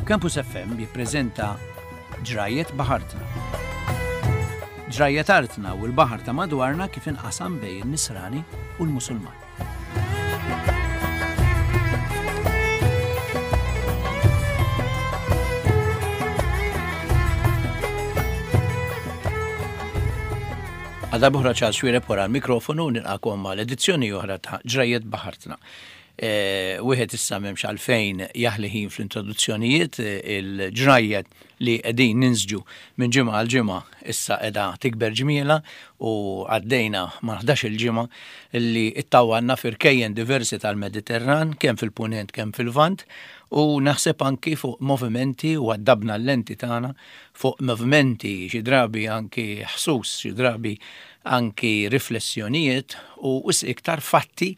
Campus FM jippreżenta Ġrajjet Baħartna. Ġrajjet artna u l-baħar ta' madwarna kif inqasam bejn in-Nisrani u l-Musulman. Għal darb'oħra Charles Xuereb wara l-mikrofonu nilqakom għal edizzjoni oħra ta' Ġrajjet Baħartna. E, wieħed issa m'hemmx għalfejn jaħli ħin fl-introduzzjonijiet il-ġrajjet li qegħdin ninsġu minn ġimgħa għal ġimgħa issa qiegħda tikber ġmiela u għaddejna ma' 11-il ġimgħa li ittawwanna f'irkejjen diversi tal-Mediterran kemm fil-Punent kemm fil-Lvant u naħseb anki fuq movimenti u għaddabna l-lenti tagħna fuq movimenti xi drabi anki ħsus, xi drabi anki riflessjonijiet u wisq iktar fatti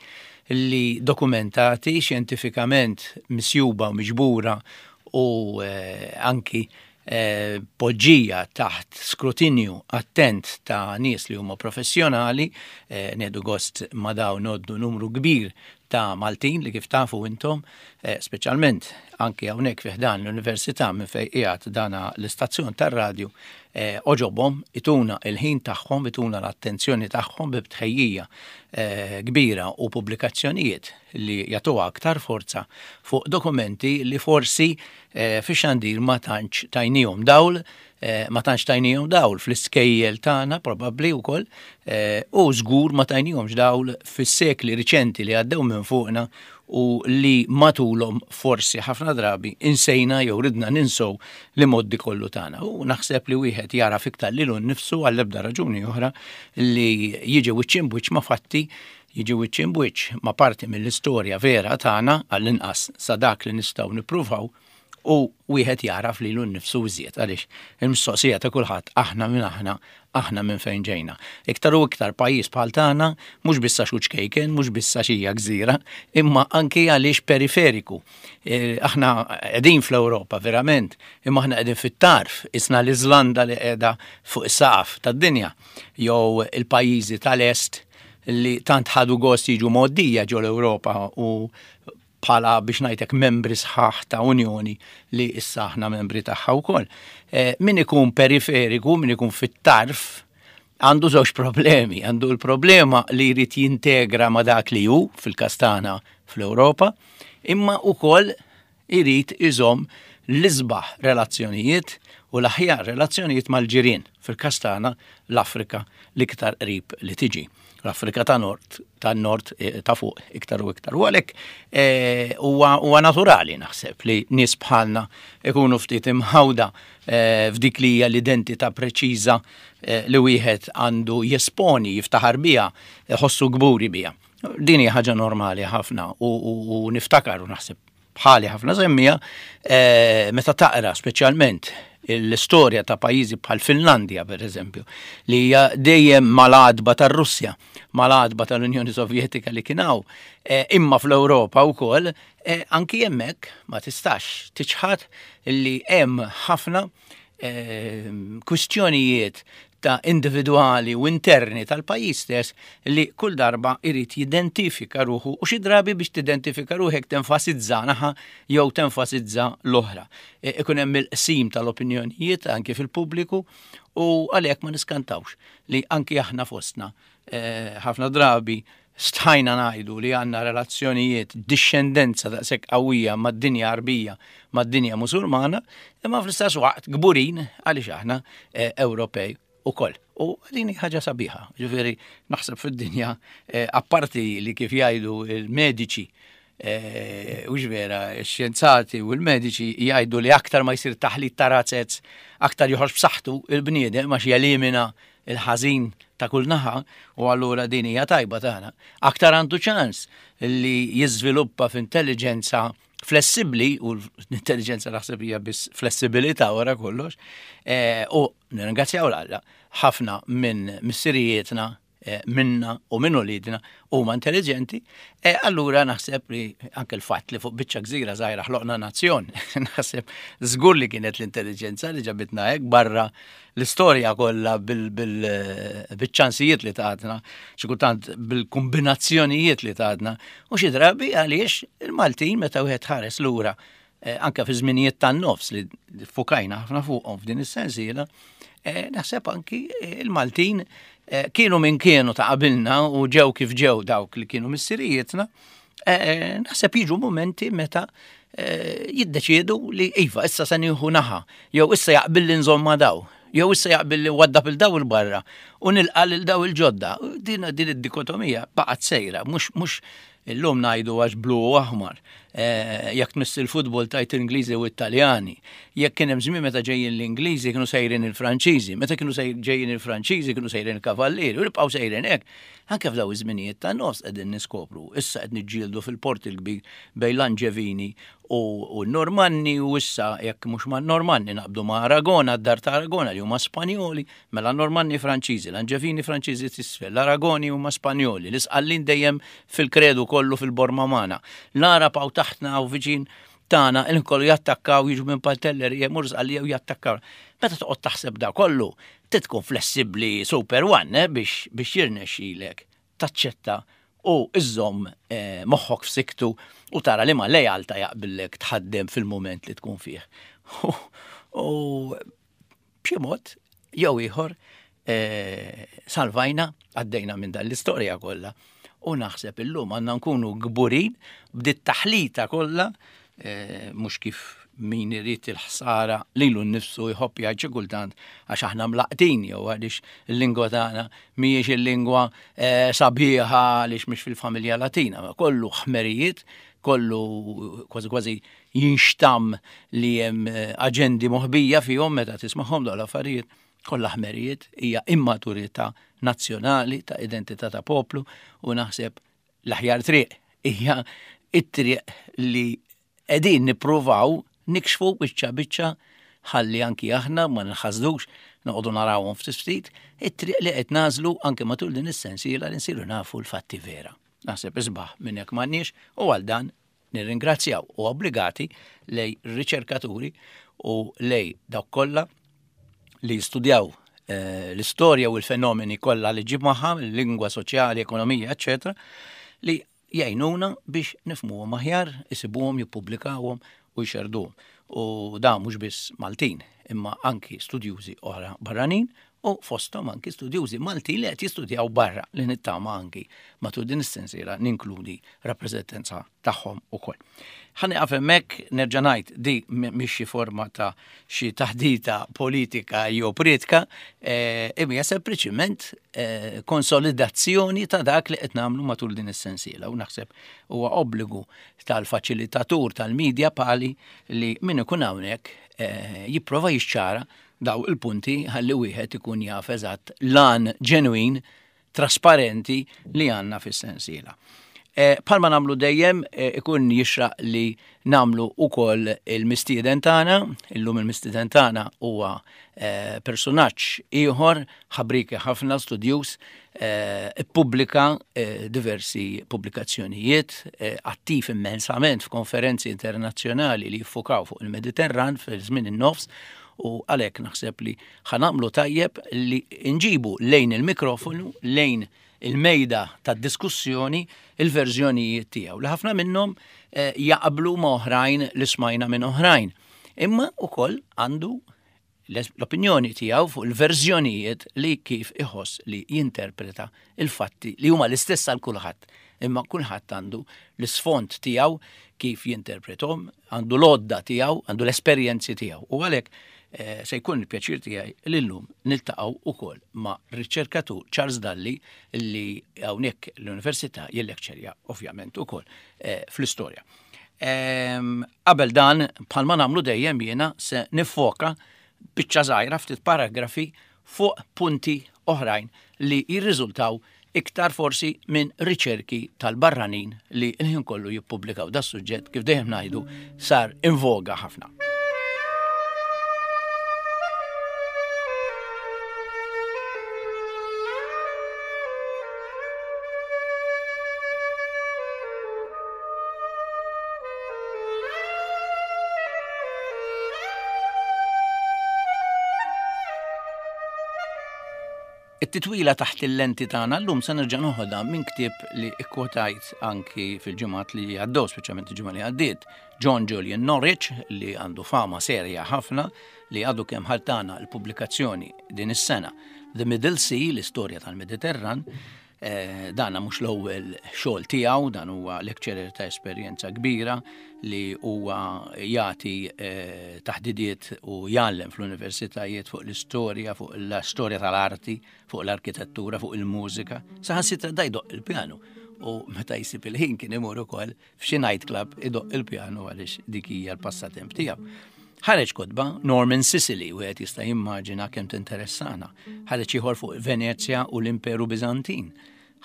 li dokumentati xjentifikament misjuba u miġbura u eh, anki eh, poġġija taħt skrutinju attent ta' nies li huma professjonali, eh, nieħdu gost ma' dawn noddu numru kbir ta' Maltin li kif tafu intom, speċjalment anki hawnhekk fi ħdan l-Università minn fejn qiegħed dana l-istazzjon tar-radju, għoġobhom ituna il-ħin tagħhom, ituna l-attenzjoni tagħhom bi tħejjija kbira u pubblikazzjonijiet li jagħtuha aktar forza fuq dokumenti li forsi fix-xandir ma tantx tajnihom dawl, ma tantx tajnihom dawl fl-iskejjel tagħna probabbli wkoll u żgur ma tajnihomx dawl fis-sekli riċenti li għaddew minn fuqna u li matulhom forsi ħafna drabi insejna jew ridna ninsow li moddi kollu tagħna. U naħseb li wieħed jara fiktar lilu nnifsu għall-ebda raġuni oħra li jiġi wiċċ imbwiċċ ma' fatti jiġi wiċċ imbwiċċ ma' parti mill-istorja vera tagħna għall-inqas sa dak li nistgħu nippruvaw u wieħed jagħraf lilu nnifsu iżjed għaliex il-mistoqsija ta' kulħadd aħna minn aħna, aħna minn fejn ġejna. Iktar u iktar pajjiż bħal tagħna mhux biss għax hu ċkejken, mhux biss għax hija gżira, imma anki għaliex periferiku. E, aħna qegħdin fl-Ewropa verament, imma aħna qegħdin fit-tarf, isna l-Iżlanda li qiegħda fuq is-saqaf tad-dinja, jew il-pajjiżi tal-Est li tant ħadu gost jiġu mgħoddija ġol Ewropa u bħala biex ngħidlek membri sħaħ ta' Unjoni li issa aħna membri tagħha wkoll. Eh, min ikun periferiku, min ikun fit-tarf, għandu żewġ problemi. Għandu l-problema li jrid jintegra ma' dak li hu fil-kastana fl-Ewropa, imma wkoll irid iżomm l-isbaħ relazzjonijiet u l-aħjar relazzjonijiet mal-ġirien fil-kastana l-Afrika l-iktar qrib li tiġi. L-Afrika ta' Nord, ta' Nord eh, ta' fuq iktar u iktar. U għalhekk eh, huwa naturali naħseb li nies bħalna ikunu ftit imħawda eh, f'dik li hija l-identità preċiża li wieħed għandu jesponi, jiftaħar biha, jħossu kburi biha. Din hija ħaġa normali ħafna u niftakar u naħseb bħali ħafna semmija, eh, meta taqra speċjalment l-istorja ta' pajjiżi bħal Finlandja per eżempju, li hija dejjem mal-għadba tar-Russja, mal-għadba tal-Unjoni Sovjetika li kien hawn, eh, imma fl-Ewropa wkoll, eh, anki hemmhekk ma tistax tiċħad li hemm ħafna kwistjonijiet ta' individwali u interni tal-pajjiż stess li kull darba irid jidentifika ruħu u xi drabi biex tidentifika ruħek tenfasizza naħa jew tenfasizza l-oħra. E, ikun hemm il-qsim tal-opinjonijiet anki fil-pubbliku u għalhekk ma niskantawx li anki aħna fostna e, ħafna drabi Stħajna ngħidu li għandna relazzjonijiet, dixxendenza daqshekk qawwija mad-dinja Għarbija, mad-dinja Musulmana, imma fl-istess waqt kburin għaliex aħna eh, Ewropej ukoll. U din ħaġa sabiħa, ġifieri naħseb fid-dinja eh, apparti li kif jgħidu il-mediċi eh, u vera, x-xjenzati u l-mediċi jgħidu li aktar ma jsir taħlit ta' razzez, aktar joħroġ b'saħħtu il-bniedem għax jelimina il-ħażin ta' kull naħa u allura din hija tajba tagħna, aktar għandu ċans li jiżviluppa f'intelligenza flessibbli u l-intelligenza naħseb hija biss flessibilità wara kollox, eh, u nirringrazzjaw l-Alla ħafna minn missirijietna eh, minna u minn ulidna huma intelligenti, e allura naħseb li anke l-fatt li fuq biċċa gżira żgħira ħloqna nazzjon, naħseb żgur li kienet l-intelligenza li ġabitna hekk barra l-istorja kollha bil-ċansijiet li tatna, xi kultant bil-kombinazzjonijiet li tatna, u xi drabi għaliex il-Maltin meta wieħed ħares lura eh, anke fi żminijiet tan-nofs li fukajna ħafna fuqhom f'din is-sensiela, eh, naħseb anki eh, il-Maltin kienu minn kienu ta' qabilna u ġew kif ġew dawk li kienu missirijietna, naħseb jiġu momenti meta jiddeċiedu li iva, issa se nieħu naħa, jew issa jaqbil li nżomm ma' daw, jew issa jaqbil li waddab il daw il-barra u nilqa' lil daw il-ġodda. Din din id-dikotomija baqgħet sejra, mhux mhux Illum ngħidu għax blu u aħmar. Eh, jekk tmiss il-futbol tajt l-Ingliżi u t-Taljani. Jekk kien hemm żmien meta ġejjin l-Ingliżi kienu sejrin il-Franċiżi, meta kienu ġejjin il-Franċiżi kienu sejrin il-Kavallieri, u nibqgħu sejrin hekk. Anke f'daw iż-żminijiet ta' nofs qegħdin niskopru. Issa qed niġġieldu fil-Port il-Kbir bejn l-Anġevini u n-Normanni u issa jekk mhux ma' Normanni naqbdu ma' Aragona, d-dar ta' Aragona li huma Spanjoli, Mela n-Normanni Franċiżi, l-Anġevini Franċiżi t'isfel, l-Aragoni huma Spanjoli, l-Isqallin dejjem fil-kredu kollu fil-borma magħna. L-Għarab hawn taħtna hawn viċin tagħna il kollu jattakkaw jiġu minn Pantellerija jmorru Sqallija u jattakkaw. Meta toqgħod taħseb da kollu, trid tkun flessibbli super one eh, biex biex jirnexxilek taċċetta u iżżomm eh, moħħok f'siktu u tara li ma lejalta jaqbillek tħaddem fil-mument li tkun fih. U B'xi mod jew ieħor eh, salvajna, għaddejna minn dan l-istorja kollha. U naħseb illum għandna nkunu kburin b'dit taħlita kollha eh, mhux kif min irid il-ħsara lilu nnifsu jħobb jgħid xi kultant għax aħna mlaqtin jew għaliex il-lingwa tagħna mhijiex il-lingwa eh, sabiħa għaliex mhix fil-familja Latina, ma kollu ħmerijiet, kollu kważi kważi jinxtamm li hemm eh, aġendi moħbija fihom meta tismagħhom dawn l-affarijiet kollha ħmerijiet hija immaturità nazzjonali ta' identità ta' poplu u naħseb l-aħjar triq hija it-triq li qegħdin nippruvaw nikxfu biċċa biċċa ħalli anki aħna ma nħasdux noqogħdu narawhom ftit ftit, it-triq li qed nażlu anke matul din is-sensiela li nsiru nafu l-fatti vera. Naħseb isbaħ minn hekk m'għandniex u għal dan Nirringrazzjaw u obbligati lej riċerkaturi u lej dawk kollha li jistudjaw eh, l-istorja u l-fenomeni kollha li ġib magħha, lingwa soċjali, ekonomija, eċetera, li jgħinuna biex nifmuhom aħjar, isibuhom, jippubblikawhom u jxerduhom. U da mhux biss Maltin, imma anki studjużi oħra barranin u fosthom anki studjużi Maltin li qed jistudjaw barra li nittama anki matul din is-sensiela ninkludi rappreżentanza tagħhom ukoll. Ħa nieqaf hemmhekk nerġa' ngħid di mhix xi forma ta' xi taħdita politika jew priedka, eh, imma hija sempliċiment eh, konsolidazzjoni ta' dak li qed nagħmlu matul din is-sensiela u naħseb huwa obbligu tal-faċilitatur tal-media pali li min ikun hawnhekk eh, jipprova jixċara daw il-punti ħalli wieħed ikun jaf eżatt lan ġenwin trasparenti li għandna fis-sensiela. Eh, palma namlu dejjem eh, ikun jixraq li namlu ukoll il-mistieden tagħna, illum il-mistieden tagħna huwa eh, personaġġ ieħor ħabriki ħafna studjuż ippubblika diversi pubblikazzjonijiet, attiv immensament f'konferenzi internazzjonali li jiffukaw fuq il-Mediterran fil-żmien in-nofs u għalhekk naħseb li ħa nagħmlu tajjeb li nġibu lejn il-mikrofonu, lejn il-mejda tad-diskussjoni il-verżjonijiet tiegħu li ħafna minnhom eh, jaqblu ma' oħrajn li smajna minn oħrajn. Imma ukoll għandu l-opinjoni tiegħu fuq il-verżjonijiet li kif iħoss li jinterpreta il-fatti li huma l-istess għal kulħadd. Imma kulħadd għandu l-isfond tiegħu kif jinterpretom, għandu l-għodda tiegħu, għandu l-esperjenzi tiegħu. U għalhekk eh, se jkun il-pjaċir tiegħi li llum niltaqgħu ukoll ma' riċerkatur Charles Dalli li hawnhekk l-Università jillekċerja ovvjament ukoll eh, fl-istorja. Ehm, qabel dan, bħalma nagħmlu dejjem jiena se nifoka biċċa żgħira ftit paragrafi fuq punti oħrajn li jirriżultaw iktar forsi minn riċerki tal-barranin li l-ħin kollu jippubblikaw da suġġett kif dejjem ngħidu sar invoga ħafna. It-titwila taħt il-lenti tagħna llum se nerġa' noħodha minn ktieb li kkwotajt anki fil-ġimgħat li għaddew, speċjalment il-ġimgħa li għaddiet, John Julian Norwich li għandu fama serja ħafna li għadu kemm ħaltana l-pubblikazzjoni din is-sena The Middle Sea, l-istorja tal-Mediterran, Eh, dana mhux l-ewwel xogħol tiegħu, dan huwa lecturer ta' esperjenza kbira li huwa jagħti eh, taħdidiet u jgħallem fl-universitajiet fuq l-istorja, fuq l-istorja tal-arti, fuq l-arkitettura, fuq il-mużika. Saħansitra da jdoq il-pjanu u meta jsib il-ħin kien imur ukoll f'xi night club idoq il-pjanu għaliex dik hija l-passatemp tiegħu. Ħareġ kotba Norman Sicily, wieħed jista' jimmaġina kemm tinteressana. Ħareġ ieħor fuq Venezja u l-Imperu Biżantin,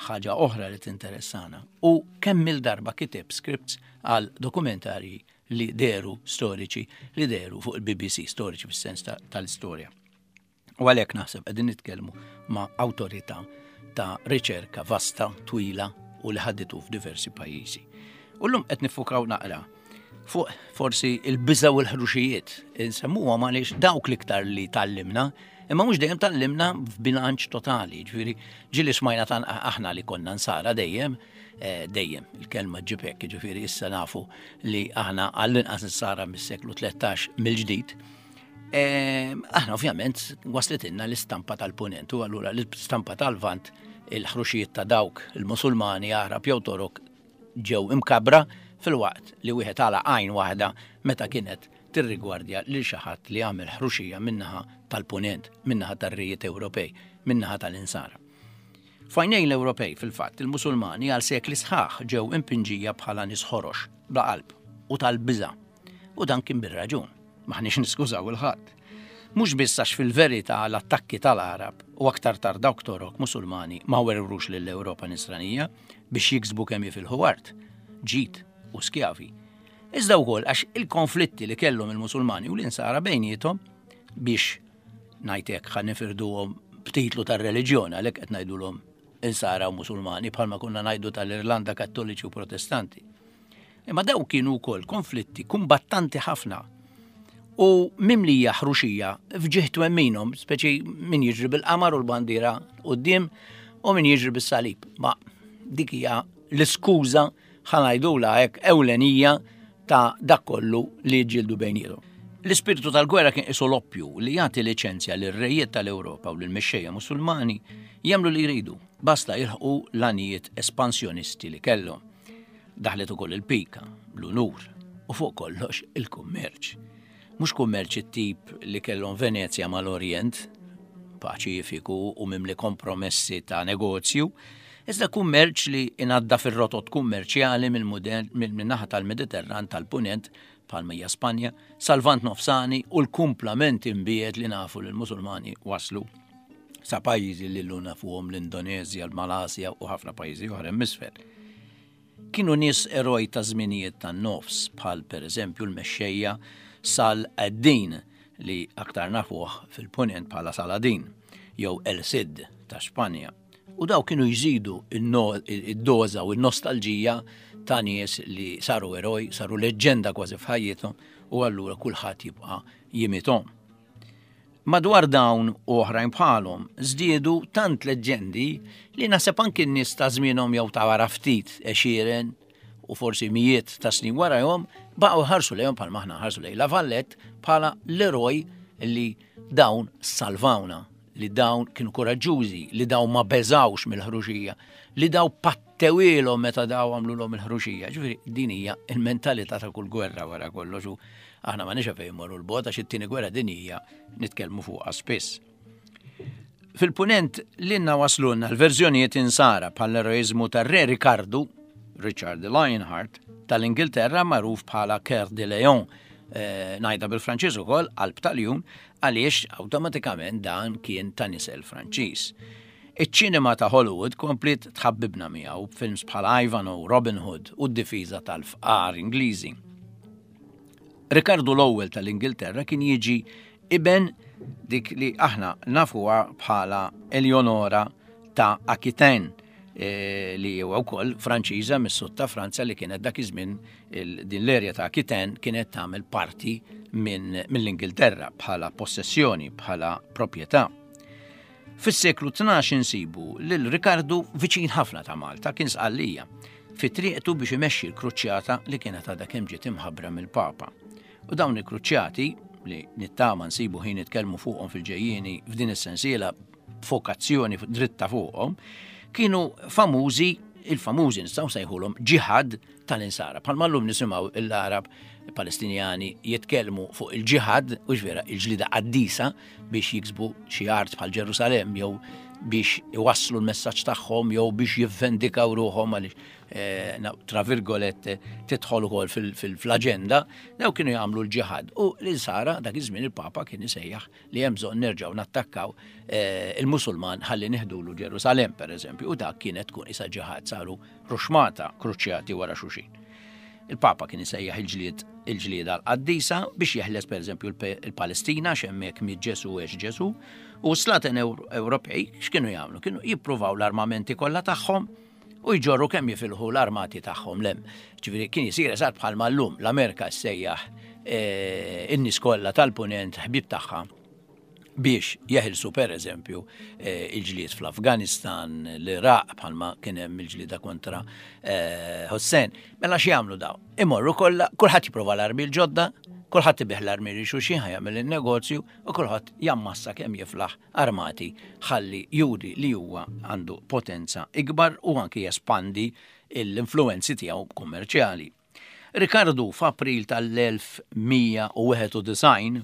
ħaġa oħra li tinteressana. U kemm il-darba kiteb scripts għal dokumentarji li deru storiċi li deru fuq il-BBC, storiċi fis-sens tal-istorja. U għalhekk naħseb qegħdin nitkellmu ma' awtorità ta' riċerka vasta, twila u li ħaditu f'diversi pajjiżi. U llum qed nifukaw naqra fuq forsi il-biża u l-ħruxijiet insemmuhom għaliex dawk l-iktar li tallimna, imma mhux dejjem tallimna f'bilanċ totali, ġifieri ġieli smajna tan aħna li konna nsara dejjem, eh, dejjem il-kelma ġibek, ġifieri issa nafu li aħna għall-inqas nsara mis-seklu 13 mill-ġdid. Ehm, aħna ovvjament waslitilna l-istampa tal-punent u allura l-istampa tal-vant il-ħruxijiet ta' dawk il-Musulmani, Għarab jew Torok ġew imkabra fil-waqt li wieħed għala għajn waħda meta kienet tirrigwardja lil xi ħadd li għamel ħruxija min-naħa tal-punent, min-naħa tar-rejiet Ewropej, min-naħa tal-Insara. F'għajnejn l-Ewropej, fil-fatt, il-Musulmani għal sekli sħaħ ġew impinġija bħala nies ħorox, bla qalb u tal-biża'. U dan kien bir-raġun. M'aħniex niskużaw il-ħadd. Mhux biss għax fil-verità l-attakki tal-Għarab u aktar tard dawk Torok Musulmani ma werwrux lill-Ewropa Nisranija biex jiksbu kemm jifilħu art, ġid u skjavi. Iżda wkoll għax il-konflitti li kellhom il-Musulmani u l-Insara bejniethom biex ngħid hekk ħa nifirduhom b'titlu tar-reliġjon għalhekk qed ngħidulhom Insara u Musulmani bħalma konna ngħidu tal-Irlanda Kattoliċi u Protestanti. Imma daw kienu wkoll konflitti kumbattanti ħafna u mimlija ħruxija f'ġieħ twemminhom, speċi min jiġri bil-qamar u l-bandiera quddiem u min jiġri bis-salib. Ma dik hija l-iskuża ħanajdula hekk ewlenija ta' dak kollu li ġildu bejniethom. L-ispirtu tal-gwerra kien qisu l-oppju li jagħti liċenzja lir-rejiet tal-Ewropa u lill-mexxejja Musulmani jagħmlu li jridu, basta jilħqu l-għanijiet espansjonisti li kellhom. Daħlet ukoll il-pika, l-unur u fuq kollox il-kummerċ. Mhux kummerċ it-tip li kellhom Venezja mal-Orjent, paċifiku u mimli kompromessi ta' negozju, iżda kummerċ li inadda fir-rotot kummerċjali mill-naħa tal-Mediterran tal-Punent bħalma hija Spanja, sal-Lvant Nofsani u l-kumplament imbiegħed li nafu li l-Musulmani waslu sa pajjiżi li llum nafuhom l-Indoneżja, l-Malasja u ħafna pajjiżi oħra hemm isfel. Kienu nies eroj ta' żminijiet tan-nofs bħal pereżempju l-mexxejja Sal ad-Din li aktar nafuh fil-Punent bħala Saladin jew El Cid ta' Spanja. U daw kienu jżidu id-doża u n-nostalġija ta' nies li saru eroj, saru leġġenda kważi f'ħajjithom u allura kulħadd jibqa' jimithom. Madwar dawn u oħrajn bħalhom żdiedu tant leġġendi li naħseb anki n-nies ta' żmienhom jew ta' wara ftit għexieren u forsi mijiet ta' snin warajhom baqgħu jħarsu lejhom bħalma aħna nħarsu lejn La Valette bħala l-eroj li dawn salvawna, li dawn kienu kuraġġużi, li dawn ma beżgħux mill-ħruxija, li dawn pattewilhom meta daw għamlulhom il-ħruxija. Ġifieri din hija l-mentalità ta' kull gwerra wara kollox u aħna ma nix fejn morru l-bogħod għax it-tieni gwerra dinjija nitkellmu fuqha spiss. Fil-punent lilna waslulna l-verżjonijiet insara bħall-eroiżmu tar-Re Rikardu, Richard the Lionheart, tal-Ingilterra magħruf bħala Coeur de Lion, eh, ngħidha bil-Franċiż ukoll, qalb tal-jun, għaliex awtomatikament dan kien ta' nisel Franċiż. Iċ-ċinema ta' Hollywood kompliet tħabbibna miegħu b'films bħal Ivanhoe, Robin Hood u d-difiża tal-fqar Ingliżi. Rikardu l-ewwel tal-Ingilterra kien jiġi iben dik li aħna nafuha bħala Eleonora ta' Aquitaine eh, li huwa wkoll Franċiża mis-sud ta' Franza li kienet dak iż-żmien din l-erja ta' Aquitaine kienet tagħmel parti mill-Ingilterra bħala possessjoni, bħala proprjetà. Fis-seklu 12 insibu lil Rikardu viċin ħafna ta' Malta, kien Sqallija, fi triqtu biex imexxi l-kruċjata li kienet għadha kemm ġiet imħabbra mill-Papa. U dawn il-kruċjati, li nittama nsibu ħin nitkellmu fuqhom fil-ġejjieni f'din is-sensiela b'fokazzjoni dritta fuqhom, kienu famużi, il-famużi nistgħu nsejħulhom ġihad tal-insara. Bħalma llum nisimgħu l-Arab Palestinjani jitkellmu fuq il-ġihad, u vera il-ġlida qaddisa biex jiksbu xi art bħal Ġerusalemm jew biex iwasslu l-messaġġ tagħhom jew biex jivvendikaw ruħhom għaliex eh, tra virgolette tidħol ukoll fil-aġenda, daw kienu jagħmlu l-ġihad. U l-insara dak iż-żmien il-Papa kien isejjaħ li hemm bżonn nerġgħu nattakkaw eh, il-Musulman ħalli neħdulu Ġerusalemm pereżempju, u dak kienet tkun isa ġihad saru ruxmata kruċjati wara xulxin. Il-Papa kien isejjaħ il-ġlied il-ġlieda l-qaddisa biex jeħles pereżempju il-Palestina x'hemmhekk miet Ġesu għex Ġesu, u s-slaten Ewropej x'kienu jagħmlu? Kienu jippruvaw l-armamenti kollha tagħhom u jġorru kemm jifilħu l-armati tagħhom lem. Ġifieri kien isir eżatt bħalma llum l-Amerika ssejjaħ eh, in-nies kollha tal-punent ħbieb tagħha biex jeħilsu per eżempju eh, il-ġlied fl-Afganistan, l-Iraq bħalma kien hemm il-ġlieda kontra eh, Hussein. Mela x'jagħmlu daw? Imorru kollha, kulħadd jipprova l-armi l-ġodda, kulħadd ibih l-armi li xulxin ħajamel il-negozju u kulħadd jammassa kemm jiflaħ armati ħalli juri li huwa għandu potenza ikbar u anki jespandi l-influenzi tiegħu kummerċjali. Rikardu f'April tal-1191,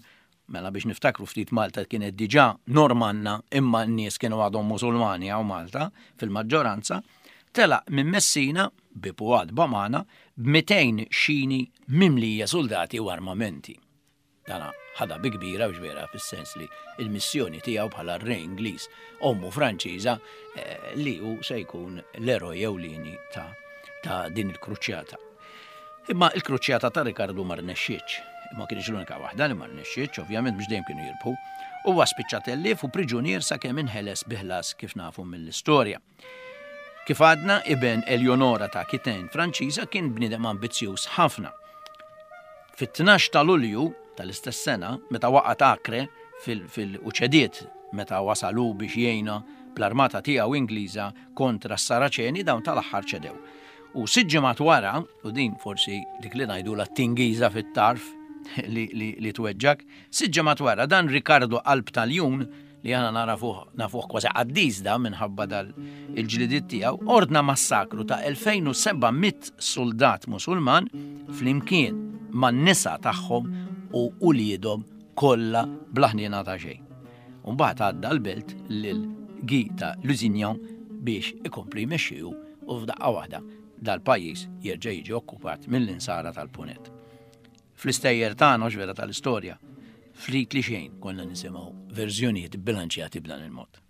mela biex niftakru ftit Malta kienet diġà Normanna imma n-nies kienu għadhom Musulmani hawn Malta fil-maġġoranza, telaq minn Messina, bieb u għatba magħna, b'200 xini mimlija suldati u armamenti. Dana ħadha bi kbira biex vera fis-sens li l-missjoni tiegħu bħala r-re Ingliż, ommu Franċiża, eh, li hu se jkun l-eroj ewlieni ta' ta' din il-kruċjata. Imma il-kruċjata ta' Rikardu ma rnexxietx. Imma kienx l-unika waħda li ma rnexxietx, ovvjament mhux dejjem kienu jirbħu. Huwa spiċċa tellief u priġunier sakemm inħeles bi ħlas kif nafu mill-istorja. Kif għadna, iben Eleonora ta' Aquitaine Franċiża kien bniedem ambizzjuż ħafna. Fit-12 ta' Lulju tal-istess sena, meta waqgħet Acre fil u ċediet meta wasal hu biex jgħinha bl-armata tiegħu Ingliża kontra s-Saraċeni, dawn tal-aħħar ċedew. U sitt ġimgħat wara, u din forsi dik li ngħidulha t-tingiża fit-tarf li, li, li tweġġak, sitt ġimgħat wara dan Ricardo Qalb tal-Jun li aħna narafuh nafuh kważi qaddis da minħabba dal il-ġlidiet tiegħu, ordna massakru ta' 2700 suldat Musulman flimkien man-nisa tagħhom u uliedhom kollha bla ħniena ta' xejn. U mbagħad għadda l-belt lil Guy ta' Lusignan biex ikompli jmexxiju u f'daqqa waħda dal-pajjiż jerġa' jiġi okkupat mill-insara tal-Punent. Fl-istejjer tagħna hux vera tal-istorja, ftit li xejn konna nisimgħu verżjonijiet bbilanċjati b'dan il-mod.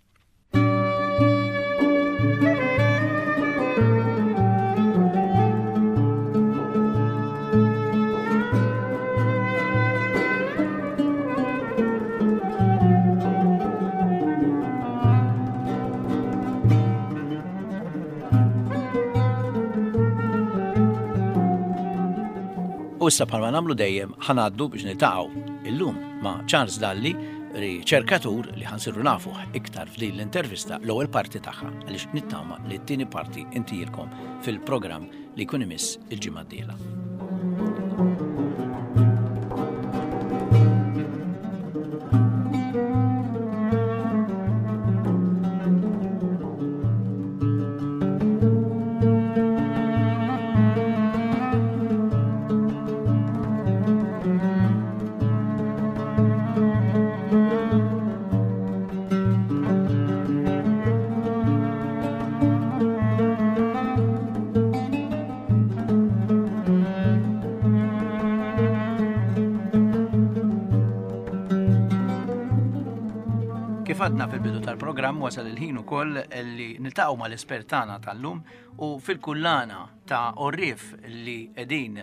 U issa bħalma nagħmlu dejjem ħanaddu biex niltaqgħu illum ma' Charles Dalli, riċerkatur li ħansiru nafuh iktar f'din l-intervista l-ewwel parti tagħha għaliex nittama li t-tieni parti intilkom fil-programm li jkun imiss il-ġimgħa d-dieħla. Kif għadna fil-bidu tal-programm wasal il-ħin ukoll li niltaqgħu mal-espert tagħna tal-lum. U fil-kullana ta' għorrief li qegħdin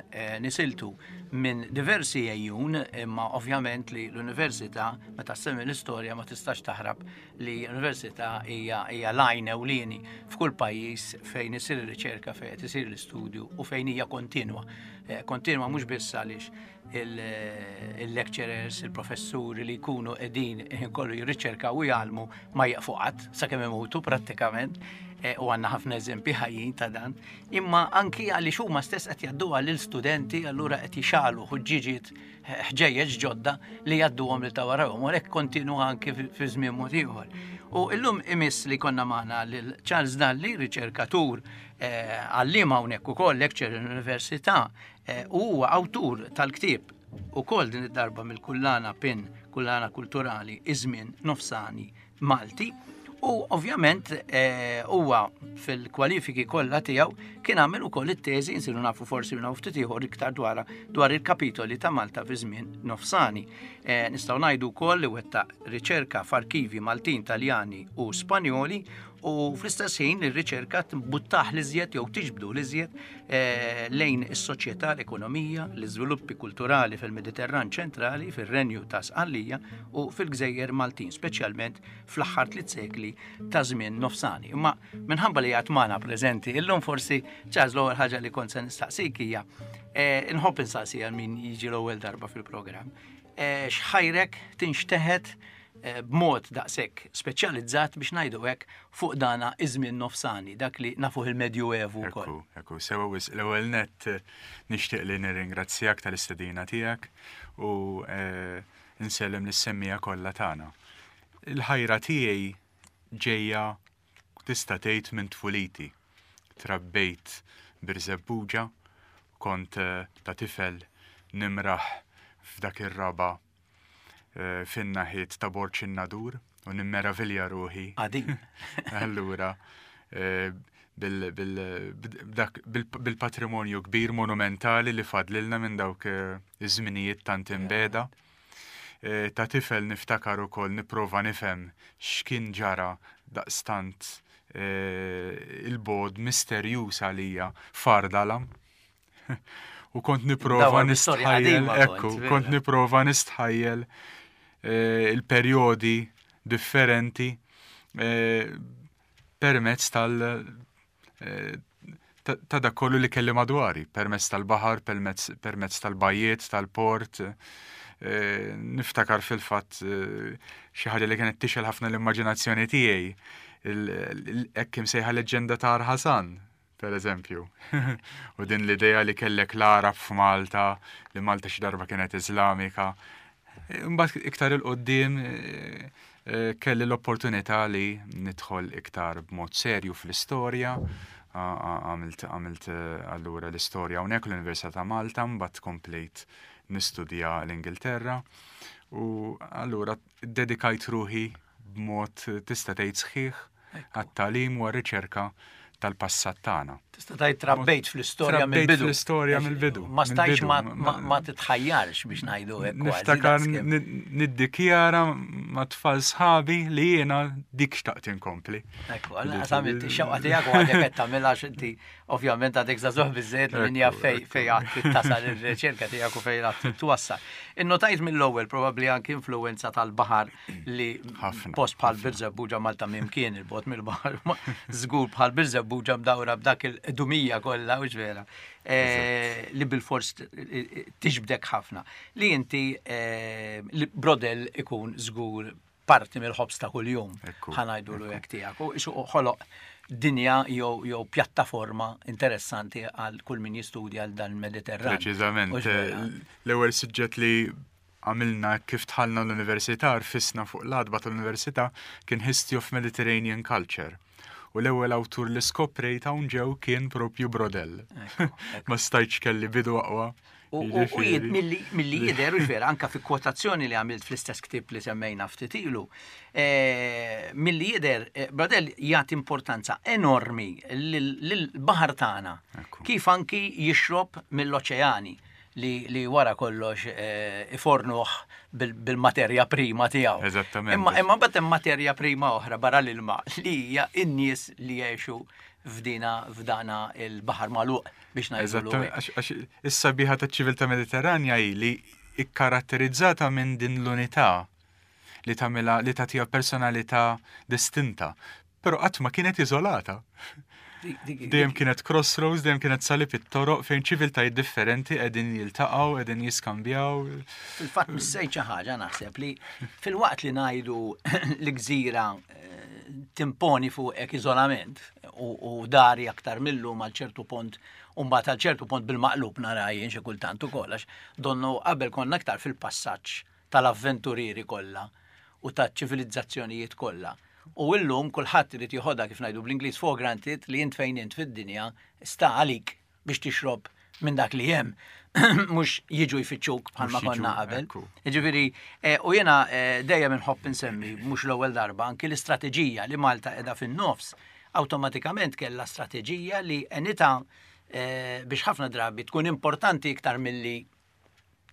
nisiltu minn diversi għejjun, imma ovvjament li l-università meta ssemmi l-istorja ma tistax taħrab li l-università hija hija l-għajn ewlieni f'kull pajjiż fejn isir ir-riċerka, fejn qed isir l-istudju u fejn hija kontinwa. Kontinwa mhux biss għaliex il-lecturers, il-professuri li jkunu qegħdin kollu jirriċerkaw u jgħallmu ma jieqfu qatt sakemm imutu prattikament e, u għandna ħafna eżempji ħajjin ta' dan, imma anki għaliex huma stess qed jgħadduha lil studenti allura qed jixalu ħuġġiġiet ħġejjeġ ġodda li jgħadduhom lil ta' warahom, u għalhekk kontinwa anki fi żmien mod ieħor. U illum imiss li konna magħna lil Charles Dalli, riċerkatur eh, għalliem hawnhekk ukoll lecturer l-Università, U huwa awtur tal-ktieb ukoll din id-darba mill-kullana PIN, Kullana Kulturali, Iż-żmien Nofsani Malti. U ovvjament eh, huwa fil-kwalifiki kollha tiegħu kien għamel ukoll it-teżi nsiru nafu forsi minn ftit ieħor iktar dwar dwar il-kapitoli ta' Malta fi żmien nofsani. Eh, nistgħu ngħidu wkoll li wettaq riċerka f'arkivi Maltin, Taljani u Spanjoli u fl-istess ħin ir-riċerka tbuttaħ l-iżjed jew tiġbdu l-iżjed eh, lejn is-soċjetà, l-ekonomija, l-iżviluppi kulturali fil-Mediterran ċentrali, fir-Renju ta' Sqallija u fil-Gżejjer Maltin, speċjalment fl-aħħar tliet sekli ta' żmien nofsani. Imma minħabba li għad magħna preżenti, illum forsi ċaż l-ewwel ħaġa li kont se nistaqsik hija eh, inħobb insaqsi għal min jiġi l-ewwel darba fil-programm. Eh, x'ħajrek tinxteħet eh, b'mod daqshekk speċjalizzat biex ngħidu hekk fuq dana iż-żmien nofsani, dak li nafuh il-Medjuevu wkoll. Ekku, ekku, sewa wisq l-ewwel nett eh, nixtieq li nirringrazzjak tal-istedina tiegħek u eh, nsellem lis-semmiegħa kollha tagħna. Il-ħajra tiegħi ġejja tista' tgħid minn tfuliti. Trabbejt Birżebbuġa, kont ta' tifel nimraħ f'dak ir-raba' fin-naħiet ta' Borġ in-Nadur u nimmeravilja ruħi. Qadim. Allura, bil-patrimonju kbir monumentali li fadlilna minn dawk iż-żminijiet tant imbegħda. Ta' tifel niftakar ukoll nipprova nifhem x'kien ġara daqstant il-bogħod misterjuż għalija f'Għar Dalam. U kont nipprova nistħajjel, ekku, kont nipprova nistħajjel eh, il-perjodi differenti eh, permezz tal eh, ta' dak kollu li kelli madwari, permezz tal-baħar, permezz tal-bajiet, tal-port. Niftakar fil-fatt xi ħaġa li kienet tixel ħafna l-immaġinazzjoni tiegħi, hekk imsejħa leġġenda ta' Arħasan, per eżempju. U din l-idea li kellek l-Arab f'Malta, li Malta xi darba kienet Iżlamika. Imbagħad iktar il-qoddim eh, eh, kelli l-opportunità li nidħol iktar b'mod serju fl-istorja, għamilt għamilt eh, allura l-istorja hawnhekk l-Università ta' Malta, mbagħad komplejt nistudja l-Ingilterra u allura dedikajt ruħi b'mod tista' tgħid sħiħ għat-tagħlim u għar-riċerka tal-passat tagħna. Tista' tgħid trabbejt fl-istorja mill-bidu. fl-istorja mill-bidu. Ma stajtx ma titħajjarx biex ngħidu hekk. Niftakar niddikjara ma' tfal sħabi li jiena dik xtaqt inkompli. Ekku, għal għamilt ix-xewqa tiegħek u għadek qed tagħmilha inti Ovvjament għadek żagħżugħ biżżejjed li min jaf fej fej għad tasal ir-riċerka tiegħek u fejn għad twassal. Innotajt mill-ewwel probabbli anki influwenza tal-baħar li post bħal Birżebbuġa Malta mimkien il-bot mill-baħar żgur bħal Birżebbuġa mdawra b'dak il-qdumija kollha u vera. Eh, li bil-fors tiġbdek ħafna. Li inti eh, li brodell ikun żgur parti mill-ħobż ta' kuljum, ħa ngħidulu hekk tiegħek. U isu ħoloq dinja jew jew pjattaforma interessanti għal kull min jistudja għal dan il-Mediterran. Preċiżament. L-ewwel suġġett li għamilna kif dħalna l-università, rfisna fuq l-għatba tal-università, kien History of Mediterranean Culture. U l-ewwel awtur li skoprejt hawn ġew kien propju Brodell. Ma stajtx kelli bidu aqwa. U milli jidher u vera anka fi kwotazzjoni li għamilt fl-istess ktieb li semmejna ftit ilu, eh, milli jidher eh, Brodell jagħti importanza enormi lill-baħar tagħna kif anki jixrob mill-oċeani li, li wara kollox eh, ifornuh bil-materja prima tiegħu. Eżattament. Imma imma mbagħad hemm materja prima oħra barra l-ilma li hija n-nies li jgħixu f'dina f'dana il-baħar magħluq biex ngħidu. Għax is-sabiħa taċ-ċiviltà Mediterranja hi li ikkaratterizzata minn din l-unità li tagħmilha li tagħtiha personalità distinta, però qatt ma kienet iżolata. Dejjem kienet crossroads, dejjem kienet salib it-toroq fejn ċiviltajiet differenti qegħdin jiltaqgħu, qegħdin jiskambjaw. Fil-fatt missejt xi ħaġa naħseb li filwaqt li ngħidu li gżira eh, timponi fuqek iżolament u dari aktar millum għal ċertu pont u mbagħad għal ċertu pont bil-maqlub nara jien xi kultant ukoll għax donnu qabel konna aktar fil-passaġġ tal-avventurieri kollha u taċ-ċivilizzazzjonijiet kollha. U illum kulħadd irid joħodha kif ngħidu bl-Ingliż for granted li int fejn int fid-dinja sta għalik biex tixrob minn dak li hemm mhux jiġu jfittxuk bħalma konna qabel. Jiġifieri, eh, u jiena eh, dejjem inħobb insemmi mhux l-ewwel darba anki l-istrateġija li Malta qiegħda fin-nofs awtomatikament kellha strateġija li enita eh, biex ħafna drabi tkun importanti iktar milli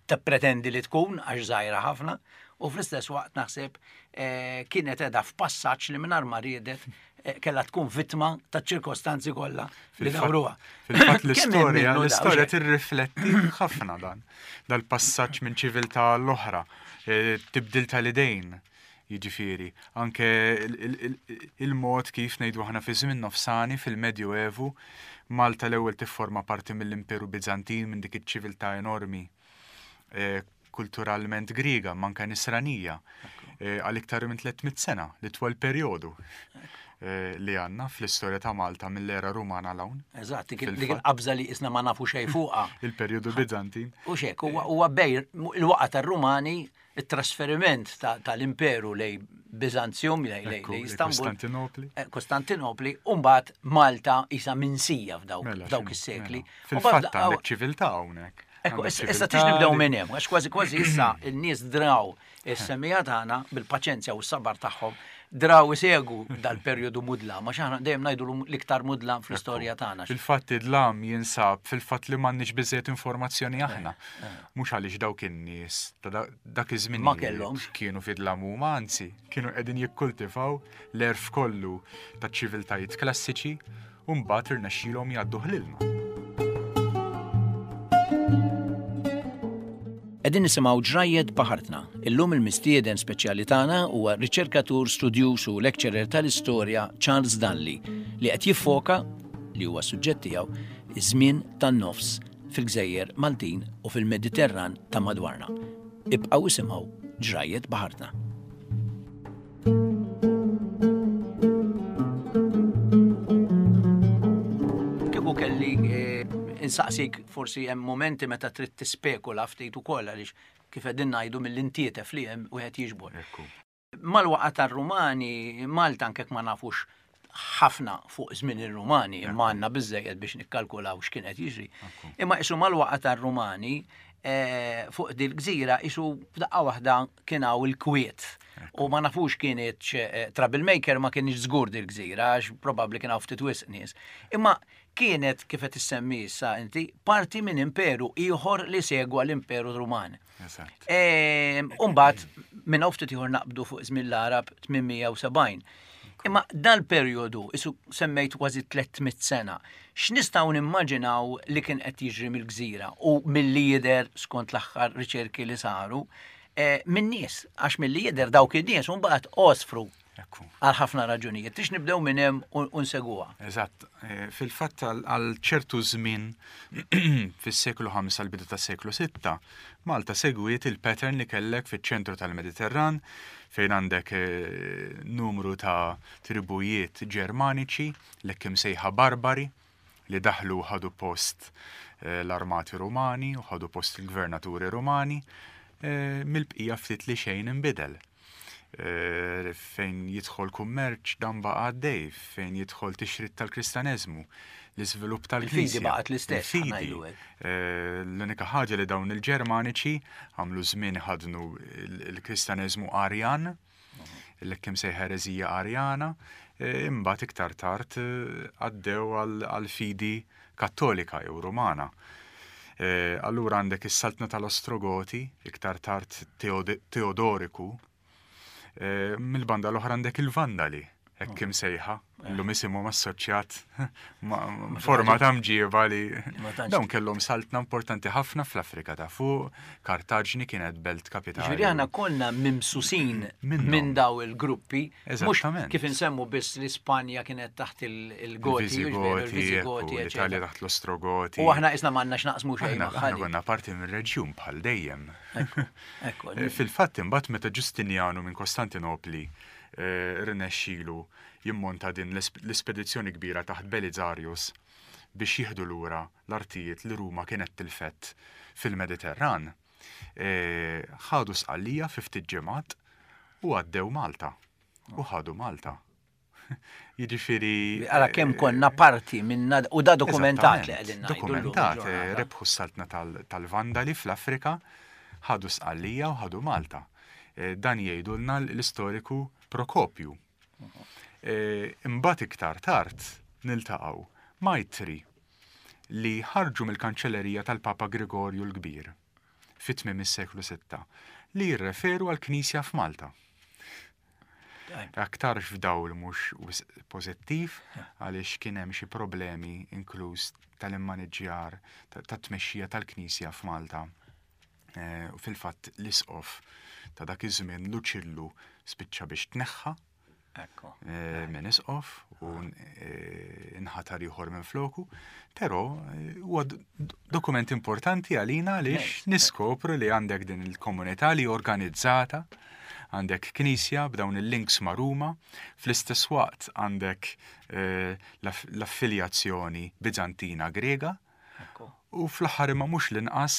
tippretendi li tkun għax żgħira ħafna u fl-istess waqt naħseb eh, kienet edha f'passaġġ li mingħajr ma riedet eh, kellha tkun vittma taċ-ċirkostanzi kollha li dawruha. Fil-fatt l-istorja l-istorja tirrifletti ħafna dan dal-passaġġ minn ċiviltà l-oħra, eh, tibdil tal-idejn. Jiġifieri, anke il-mod kif ngħidu aħna fi żmien nofsani fil-Medju Evu, Malta l-ewwel tifforma parti mill-Imperu Biżantin minn dik iċ-ċiviltà enormi eh, kulturalment Griega, imma anke Nisranija, eh, għal iktar minn 300 sena, l-itwal perjodu eh, li għandna fl-istorja ta' Malta mill-era Rumana 'l hawn. Eżatt, dik il-qabża li isna ma nafu xejn fuqha. Il-perjodu Biżantin. U xek, huwa bej il-waqa tar-Rumani it-trasferiment tal-imperu lej Bizanzjum, lej Istanbul. Kostantinopli. Eh, Kostantinopli, u mbagħad Malta isa minsija f'dawk mela, dawk is-sekli. Mela. Fil-fatt għandek ċiviltà hawnhekk. Ekku, issa tix nibdew minn hemm, għax kważi kważi issa n-nies draw is-semija tagħna bil-paċenzja u s-sabar tagħhom draw isegu dal-perjodu mudlam, għax aħna dejjem ngħidu l-iktar mudlam fl-istorja tagħna. Fil-fatt id-dlam jinsab fil-fatt li m'għandniex biżejjed informazzjoni aħna. Eh, eh. Mhux għaliex dawk in-nies ta' dak iż-żmien ma kellhomx kienu fi dlam huma, anzi, kienu qegħdin jikkultivaw l-għerf kollu taċ-ċiviltajiet klassiċi u mbagħad irnexxielhom jgħadduh lilna. Qegħdin nisimgħu Ġrajjet Baħartna. Illum il-mistieden speċjali tagħna huwa riċerkatur, studjuż u lecturer tal-istorja Charles Dalli li qed jiffoka, li huwa s-suġġett tiegħu, iż-żmien tan-nofs fil-gżejjer Maltin u fil-Mediterran ta' madwarna. Ibqgħu isimgħu Ġrajjet Baħartna. Kieku kelli eh, insaqsik forsi hemm momenti meta trid tispekula ftit ukoll għaliex kif qegħdin ngħidu mill-intietef li hemm wieħed jiġbor. Mal-waqgħa tar-Rumani, Malta anke ma nafux ħafna fuq żmien ir-Rumani, imma għandna biżejjed biex nikkalkulaw x'kien qed jiġri. Imma isu mal-waqgħa tar-Rumani eh, fuq dil-gżira isu f'daqqa waħda kien hawn il-kwiet. U ma nafux kienet eh, troublemaker ma kienx żgur dil-gżira għax probabbli kien hawn ftit wisq nies. Imma kienet kif qed issemmi issa inti parti minn imperu ieħor li segwa l-Imperu Ruman. Ehm, Umbat, minn hawn ftit ieħor naqbdu fuq żmien l-Arab 870. Imma dal-perjodu, isu semmejt kważi 300 sena, x'nistgħu nimmaġinaw li kien qed jiġri mill-gżira u milli jidher skont l-aħħar riċerki li saru, eh, minn nies, għax milli jidher dawk in-nies mbagħad għosfru Għal ħafna raġunijiet. Tix nibdew minn hemm u nseguha. Eżatt. Eh, fil-fatt għal ċertu żmien fis-seklu 5 għal bidu tas-seklu 6, Malta segwiet il-pattern li kellek fiċ-ċentru tal-Mediterran fejn għandek eh, numru ta' tribujiet Ġermaniċi, l-hekk imsejħa barbari, li daħlu u ħadu post eh, l-armati Rumani u ħadu post il-gvernaturi Rumani, mill-bqija ftit li xejn inbidel. Eh, fejn jidħol kummerċ dan baqa' għaddej, fejn jidħol tixrid tal-Kristaneżmu, l-iżvilupp tal-Knisja. Il-fidi baqgħet l-istess. Il-fidi. Eh, l-unika ħaġa li dawn il-Ġermaniċi għamlu żmien ħadnu l-Kristaneżmu Arjan, l-hekk imsejħa ereżija Arjana, eh, imbagħad iktar tard għaddew għal-fidi Kattolika jew Rumana. Allura għandek is-saltna tal-Ostrogoti, iktar tard Teodoriku, mill-banda l-oħra għandek il-Vandali, Hekk imsejħa, illum isimhom assoċjat ma' forma ta' mġieba li dawn kellhom saltna importanti ħafna fl-Afrika ta' fuq, Kartaġni kienet belt kapitali. Ġifieri aħna konna mimsusin minn daw il-gruppi, mhux kif insemmu biss li Spanja kienet taħt il-Goti, il-Visigoti, l-Italja taħt l-Ostrogoti. U aħna isna m'għandna x'naqsmu xejn. Aħna konna parti mir-reġjun bħal dejjem. Fil-fatt imbagħad meta Ġustinjanu minn Kostantinopli rnexxielu jimmonta din l-ispedizzjoni kbira taħt Belizarius biex jieħdu lura l-artijiet li Ruma kienet tilfet fil-Mediterran. Ħadu Sqallija fi ftit ġimgħat u għaddew Malta. U ħadu Malta. Jiġifieri. Ara kemm konna parti minna u da dokumentat li qegħdin ngħidu. Dokumentat, rebħu s-saltna tal-Vandali fl-Afrika, ħadu Sqallija u ħadu Malta. Dan jgħidulna l-istoriku Prokopju. Imbagħad iktar tard niltaqgħu ma' ittri li ħarġu mill-kanċellerija tal-Papa Grigorju l-Kbir fi tmiem is-seklu sitta li jirreferu għall-Knisja f'Malta. Aktarx f'dawl mhux wisq pożittiv għaliex kien hemm xi problemi inkluż tal-immaniġġjar tat-tmexxija tal-Knisja f'Malta. Eh, u fil-fatt l-isqof ta' dak iż-żmien Luċillu spiċċa biex tneħħa eh, minn isqof u eh, nħatar ieħor minn floku, però huwa dokument importanti għalina għaliex niskopru li għandek din il-komunità li organizzata, għandek knisja b'dawn il-links ma' Ruma, fl-istess waqt għandek l-affiljazzjoni Bizantina Grega, U fl-aħħar imma mhux l-inqas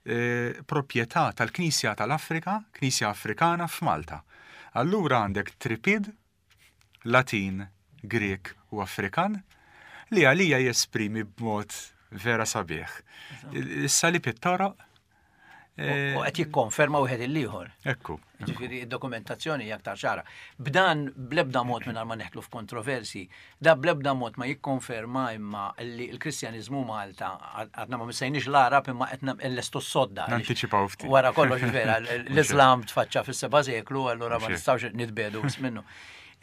eh, proprjetà tal-Knisja tal-Afrika, Knisja Afrikana f'Malta. Allura għandek tripid, Latin, Grieg u Afrikan li għalija jesprimi b'mod vera sabiħ. Is-salib it-toroq U qed jikkonferma wieħed il-ieħor. Ekku. Ġifieri id-dokumentazzjoni hija aktar ċara. B'dan bl-ebda mod mingħajr ma neħtlu f'kontroversi, da bl-ebda mod ma jikkonferma imma li l-Kristjaniżmu Malta għadna ma missejniex l-Arab imma qed nlestu s-sodda. Nantiċipaw ftit. Wara kollox vera, l-Islam tfaċċa fis-seba' seklu, allura ma nistgħux nitbedu minnu.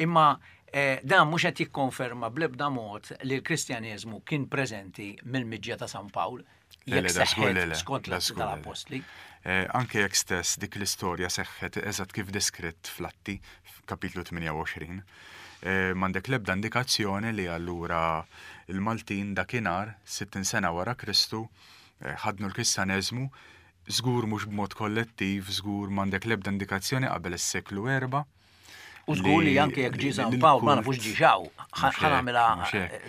Imma eh, dan mhux qed jikkonferma bl-ebda mod li l-Kristjaniżmu kien preżenti mill-miġja ta' San Pawl. Jekk seħħet skont l-Atti tal-Appostli. Eh, anke jekk stess dik l-istorja seħħet eżatt kif deskritt fl-Atti f'kapitlu 28. Eh, m'għandek l-ebda indikazzjoni li allura il-Maltin dakinhar 60 sena wara Kristu eh, ħadnu l-Kristjaneżmu żgur mhux b'mod kollettiv, żgur m'għandek l-ebda indikazzjoni qabel is-seklu 4 U żgur li anke jekk ġie San Pawl ma nafux ġie xaw, ħanamilha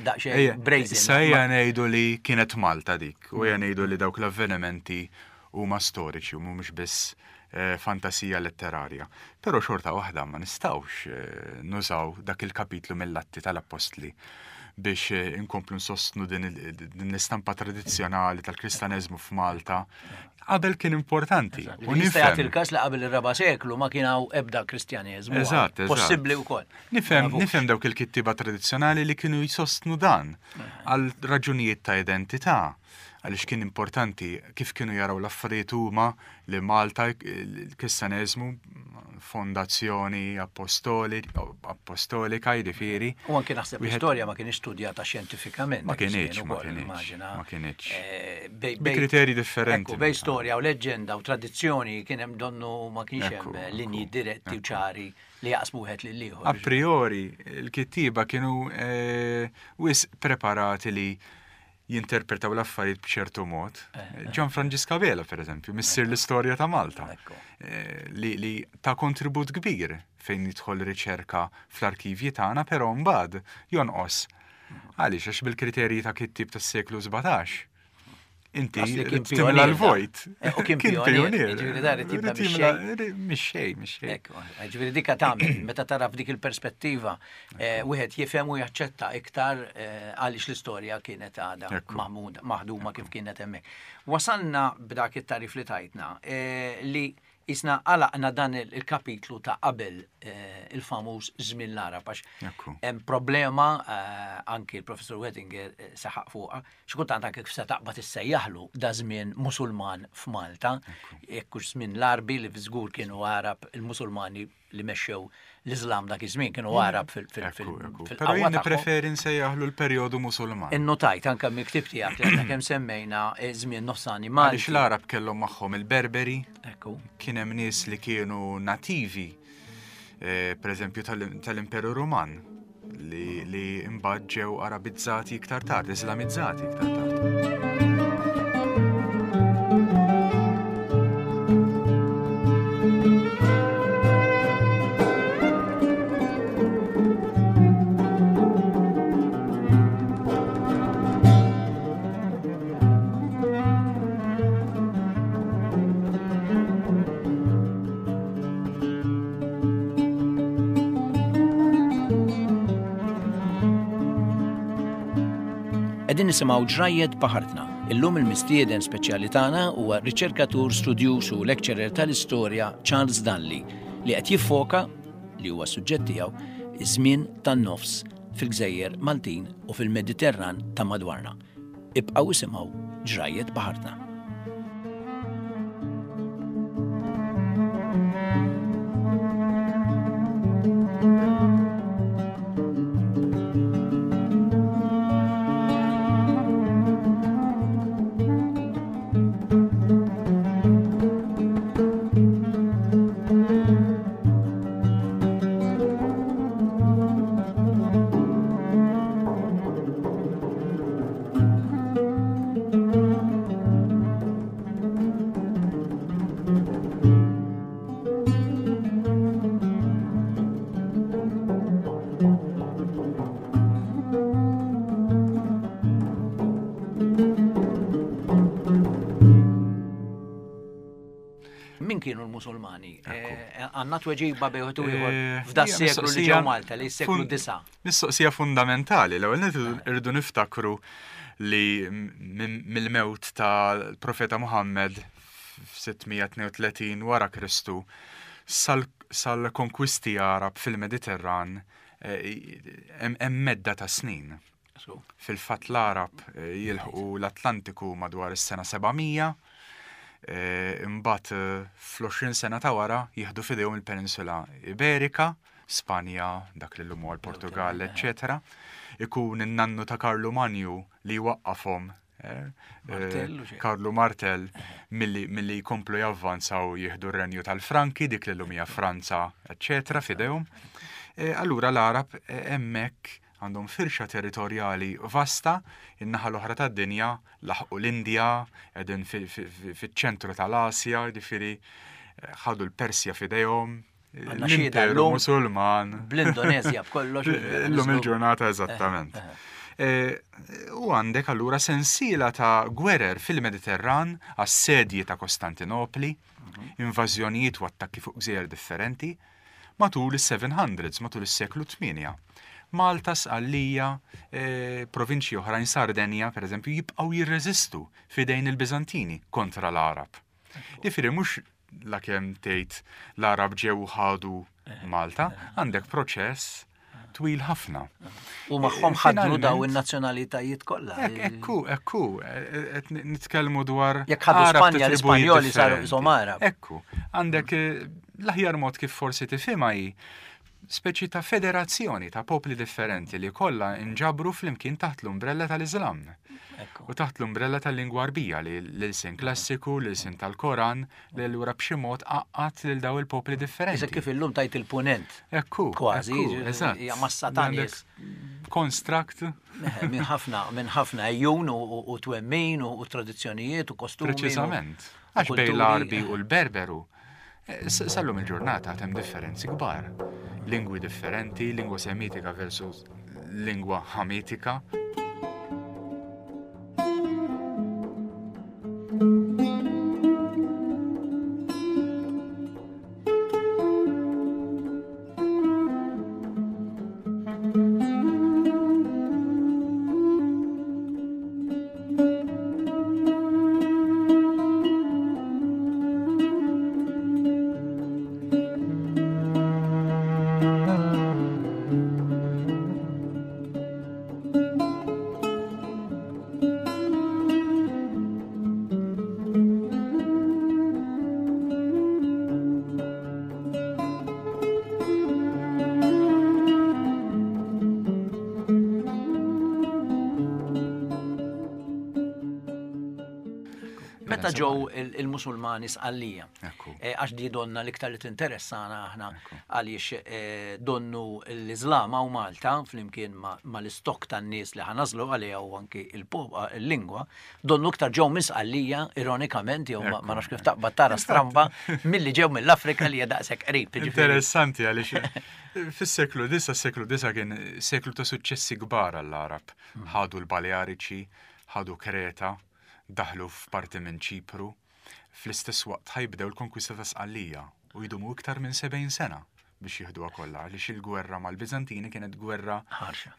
daqsxejn brazen. Issa ejja ngħidu li kienet Malta dik, u ejja ngħidu li dawk l-avvenimenti huma storiċi u mhumiex biss eh, fantasija letterarja. Però xorta waħda ma nistgħux eh, nużaw dak il-kapitlu mill-Atti tal-Appostli biex eh, inkomplu nsostnu din l-istampa tradizzjonali tal-Kristaneżmu f'Malta Qabel kien importanti. U nista' jagħti il-każ li qabel ir-raba' seklu ma kien hawn ebda Kristjaneżmu. Eżatt, Possibbli wkoll. Nifhem, nifhem dawk il-kittieba tradizzjonali li kienu jsostnu dan għal raġunijiet ta' identità għaliex kien importanti kif kienu jaraw l-affarijiet huma li Malta l-Kristjaneżmu fondazzjoni apostolika jiġifieri. U anke naħseb l-istorja ma kienx studjata xjentifikament. Ma kienx, ma kienx. Ma kienx. Eh, bi kriterji differenti. Bej storja u leġġenda u tradizzjoni kien hemm donnu ma kienx hemm linji diretti u ċari li jaqsmu wieħed lil ieħor. A priori, il-kittieba kienu eh, wisq preparati li jinterpretaw l-affarijiet b'ċertu mod. Eh, eh. Ġan Franġiska Vela, per eżempju, missier l-istorja ta' Malta, eh, li, li ta' kontribut kbir fejn jidħol riċerka fl-arkivji tagħna, però mbagħad jonqos. Mhm. Għaliex għax bil-kriterji ta' kittib tas-seklu 17 inti timla l-vojt. Eh, u kien pionier. Ġifieri dar tibda mix-xejn, mix-xejn. Ġifieri dika tagħmel meta tara f'dik il-perspettiva eh, wieħed jifhem u jaċċetta iktar eh, għaliex l-istorja kienet għadha maħduma kif kienet hemmhekk. Wasalna b'dak it-tarif li tajtna li Isna għalaqna dan il-kapitlu ta' qabel eh, il-famuż żmien l-Arab għax hemm problema eh, anki l-Professur Wettinger eh, saħaq fuqha, xi kultant anke kif se taqbad issejjaħlu da żmien Musulman f'Malta, jekk hux żmien l-Arbi li żgur kienu Arab il-Musulmani li mexxew l-Iżlam dak iż-żmien kienu Arab fil-qawwa. Però jien nippreferi nsejjaħlu l-perjodu Musulman. Innotajt anke mill-ktieb tiegħek li għadna kemm semmejna eh, żmien nofsani Malti. Għaliex l-Arab kellhom magħhom il-Berberi, kien hemm nies li kienu nativi, eh, pereżempju tal-Imperu Ruman, li, li imbagħad ġew Arabizzati iktar tard, Islamizzati iktar tard. Qegħdin nisimgħu ġrajjet baħartna. Illum il-mistieden speċjali tagħna huwa riċerkatur studjuż u lecturer tal-istorja Charles Dalli li qed jiffoka li huwa suġġett tiegħu iż-żmien tan-nofs fil-gżejjer Maltin u fil-Mediterran ta' madwarna. Ibqgħu isimgħu ġrajjet baħartna. Min kienu l-Musulmani? Eh, għanna tweġiba bejħu ieħor eh, f'da seklu li ġew Malta li seklu disa. Mistoqsija fundamentali, l-ewwel nett irridu niftakru li mill-mewt tal-Profeta Muhammad f'632 wara Kristu sal-konkwisti Għarab fil-Mediterran eh, hemm medda ta' snin. Fil-fatt l-Għarab eh, jilħqu l-Atlantiku madwar is-sena 700, eh, imbagħad fl-20 sena ta' wara jieħdu f'idejhom il-Peninsula Iberika, Spanja, dak li llum huwa l-Portugall, eċċetera. Ikun in-nannu ta' Karlu Manju li jwaqqafhom eh, eh, Karlu Martell milli jkomplu javvanzaw jieħdu r-renju tal-Franki, dik li llum hija Franza, eċċetera, f'idejhom. Eh, allura l-Arab hemmhekk għandhom firxa territorjali vasta, in-naħa l-oħra tad-dinja laħqu l-Indja, qegħdin fiċ-ċentru tal-Asja, jiġifieri ħadu l-Persja f'idejhom, Għandna xhieda llum. Musulman. Bl-Indonezja b'kollox. Illum il-ġurnata eżattament. Eh, eh. Eh, u għandek allura sensiela ta' gwerer fil-Mediterran, assedji ta' Kostantinopli, mhm. invażjonijiet u attakki fuq gżejjer differenti, matul is-700s, matul is-seklu 8. Malta, Sqallija, provinċji oħrajn Sardenja, per eżempju, jibqgħu jirreżistu fidejn il-Biżantini kontra l-Arab. Jifieri mhux lakemm tgħid l-Arab ġew ħadu eh. Malta, għandek proċess twil ħafna. U magħhom ħadnu daw in-nazzjonalitajiet kollha. Ekku, ekku, qed nitkellmu dwar. Jekk ħadu Spanja l-Ispanjoli saru qishom Arab. Ekku, għandek eh, l-aħjar mod kif forsi tifhimha hi speċi ta' federazzjoni ta' popli differenti li kollha nġabru flimkien taħt l-umbrella tal-Iżlam. U taħt l-umbrella tal-lingwa Arbija li l-ilsien klassiku, l-ilsien tal-Koran, li allura b'xi mod għaqqad lil daw il-popli differenti. Issa kif illum tajt il-punent. Ekku. Kważi, eżatt. Hija massa ta' nies. Construct. Minn ħafna, minn ħafna ejjun u twemmin u tradizzjonijiet u kostumi. Preċiżament. Għax bejn l-Arbi u l-Berberu, eh, sallum il-ġurnata hemm differenzi kbar. Lingwi differenti, lingwa semitika versus lingwa ħamitika. Meta ġew il-Musulmani Sqallija, eh, għax di donna l-iktar li tinteressana aħna għaliex eh, donnu l-Iżlam hawn Malta flimkien mal-istok tan-nies li ħanażlu għaliha u anki il-lingwa, donnu iktar ġew minn Sqallija, ironikament, jew ma nafx kif taqbad tara stramba, milli ġew mill-Afrika li hija daqshekk qrib. Interessanti għaliex fis-seklu disa, seklu disa kien seklu ta' suċċessi kbar għall-Arab. Hmm. Ħadu l-Baleariċi, ħadu Kreta, daħlu f'parti minn Ċipru, fl-istess waqt ħa jibdew il-konkwista ta' Sqallija u jdumu iktar minn 70 sena biex jieħduha kollha għaliex il-gwerra mal-Biżantini kienet gwerra